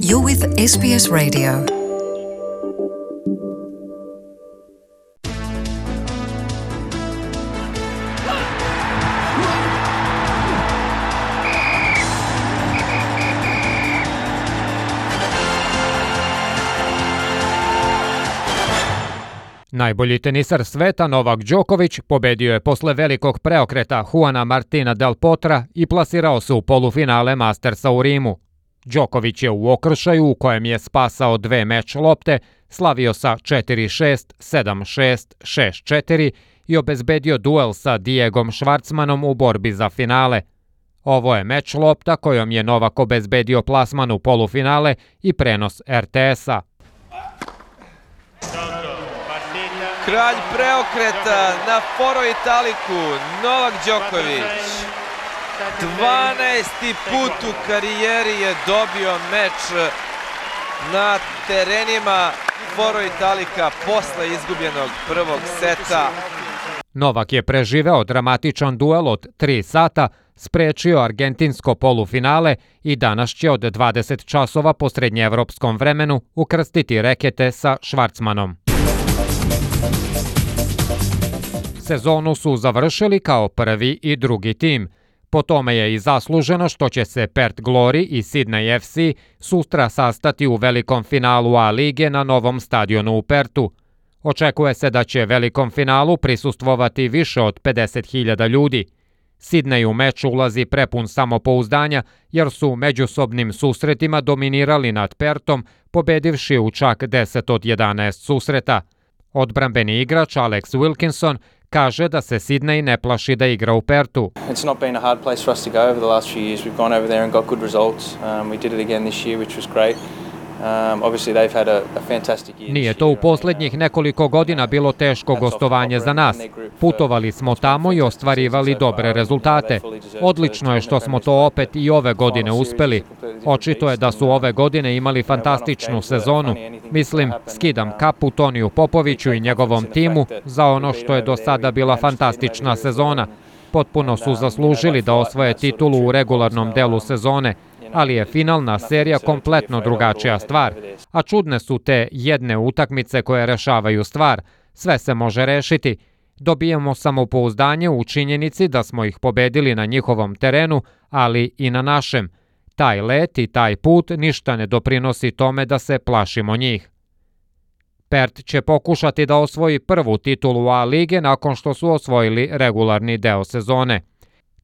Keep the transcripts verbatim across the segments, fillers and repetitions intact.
You're with S B S Radio. Najbolji tenisar sveta Novak Đoković pobedio je posle velikog preokreta Juana Martina del Potra i plasirao se u polufinale Mastersa u Rimu. Đoković je u okršaju u kojem je spasao dve meč lopte, slavio sa četiri šest, sedam šest, šest četiri i obezbedio duel sa Diegom Schwartzmanom u borbi za finale. Ovo je meč lopta kojom je Novak obezbedio plasman u polufinale i prenos er te esa. Kralj preokreta na Foro Italiku, Novak Đoković. dvanaesti put u karijeri je dobio meč na terenima Foro Italika posle izgubljenog prvog seta. Novak je preživeo dramatičan duel od tri sata, sprečio argentinsko polufinale i danas će od dvadeset časova po srednjeevropskom vremenu ukrstiti rekete sa Schwartzmanom. Sezonu su završili kao prvi i drugi tim. Po tome je i zasluženo što će se Perth Glory i Sydney ef ce sutra sastati u velikom finalu A lige na novom stadionu u Perthu. Očekuje se da će velikom finalu prisustvovati više od pedeset hiljada ljudi. Sydney u meč ulazi prepun samopouzdanja jer su u međusobnim susretima dominirali nad Perthom, pobedivši u čak deset od jedanaest susreta. Odbrambeni igrač Alex Wilkinson kaže da se Sydney ne plaši da igra u Perthu. It's not been a hard place for us to go over the last few years. We've gone over there and got good results. Um, we did it again this year, which was great. Um, obviously they've had a, a fantastic year. Nije to u posljednjih nekoliko godina bilo teško gostovanje za nas. Putovali smo tamo i ostvarivali dobre rezultate. Odlično je što smo to opet i ove godine uspeli. Očito je da su ove godine imali fantastičnu sezonu. Mislim, skidam kapu Toniju Popoviću i njegovom timu za ono što je do sada bila fantastična sezona. Potpuno su zaslužili da osvoje titulu u regularnom delu sezone, ali je finalna serija kompletno drugačija stvar. A čudne su te jedne utakmice koje rešavaju stvar. Sve se može rešiti. Dobijemo samopouzdanje u činjenici da smo ih pobedili na njihovom terenu, ali i na našem. Taj let i taj put ništa ne doprinosi tome da se plašimo njih. Perth će pokušati da osvoji prvu titulu A lige nakon što su osvojili regularni deo sezone.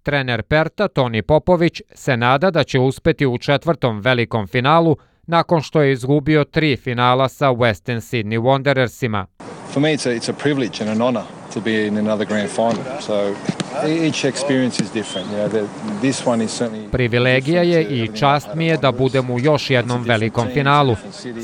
Trener Pertha Toni Popović se nada da će uspeti u četvrtom velikom finalu nakon što je izgubio tri finala sa Western Sydney Wanderersima. For me it's a, it's a privilege and an honor to be in another grand final. So each experience is different. You know, this one is certainly Privilegija je i čast mi je da budem u još jednom velikom finalu.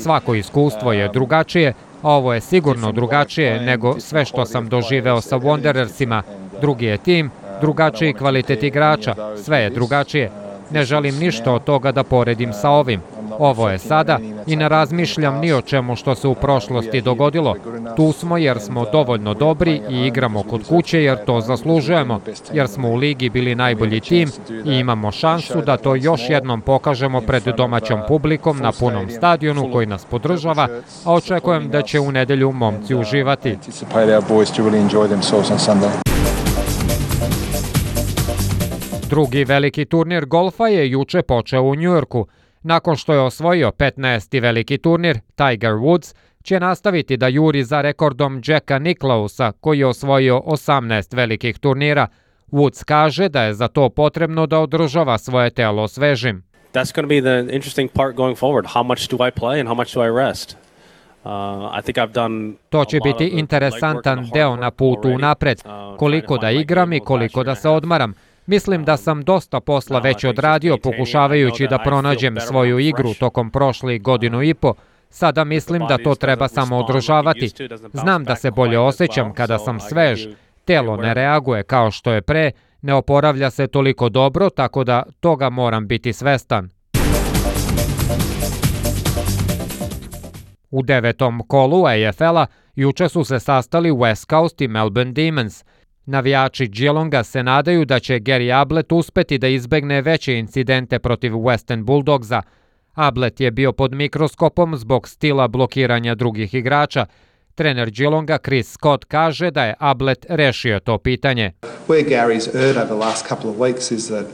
Svako iskustvo je drugačije, a ovo je sigurno drugačije nego sve što sam doživeo sa Wanderersima. Drugi je tim, drugačiji kvalitet igrača, sve je drugačije. Ne želim ništa od toga da poredim sa ovim. Ovo je sada i ne razmišljam ni o čemu što se u prošlosti dogodilo. Tu smo jer smo dovoljno dobri i igramo kod kuće jer to zaslužujemo, jer smo u ligi bili najbolji tim i imamo šansu da to još jednom pokažemo pred domaćom publikom na punom stadionu koji nas podržava, a očekujem da će u nedelju momci uživati. Drugi veliki turnir golfa je juče počeo u Njujorku. Nakon što je osvojio petnaesti veliki turnir, Tiger Woods će nastaviti da juri za rekordom Jacka Nicklausa koji je osvojio osamnaest velikih turnira. Woods kaže da je za to potrebno da održava svoje telo svežim. That's going to be the interesting part going forward. How much do I play and how much do I rest? Uh, I think I've done To će biti interesantan deo na putu unapred. Koliko da igram i koliko da se odmaram. Mislim da sam dosta posla već odradio pokušavajući da pronađem svoju igru tokom prošlih godinu i po. Sada mislim da to treba samo održavati. Znam da se bolje osjećam kada sam svež. Telo ne reaguje kao što je pre, ne oporavlja se toliko dobro, tako da toga moram biti svestan. U devetom kolu A F L-a juče su se sastali West Coast i Melbourne Demons. Navijači Geelonga se nadaju da će Gary Ablett uspeti da izbegne veće incidente protiv Western Bulldogsa. Ablett je bio pod mikroskopom zbog stila blokiranja drugih igrača. Trener Geelonga Chris Scott kaže da je Ablett rešio to pitanje. Where Gary's erred over the last couple of weeks is that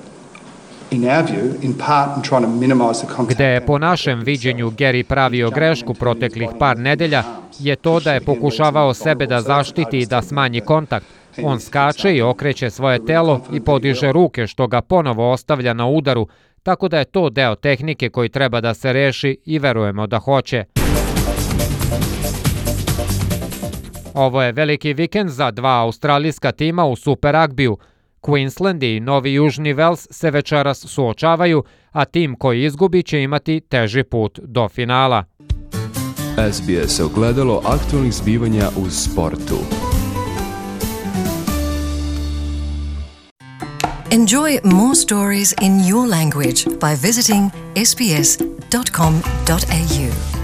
in our view, in part in trying to minimize the contact. Gde je po našem viđenju Gary pravio grešku proteklih par nedelja je to da je pokušavao sebe da zaštiti i da smanji kontakt. On skače i okreće svoje telo i podiže ruke što ga ponovo ostavlja na udaru, tako da je to deo tehnike koji treba da se reši i verujemo da hoće. Ovo je veliki vikend za dva australijska tima u Super Ragbiju. Queensland i Novi Južni Vels se večeras suočavaju, a tim koji izgubi će imati teži put do finala. S B S ogledalo aktualnih zbivanja u sportu. Enjoy more stories in your language by visiting s b s dot com dot a u.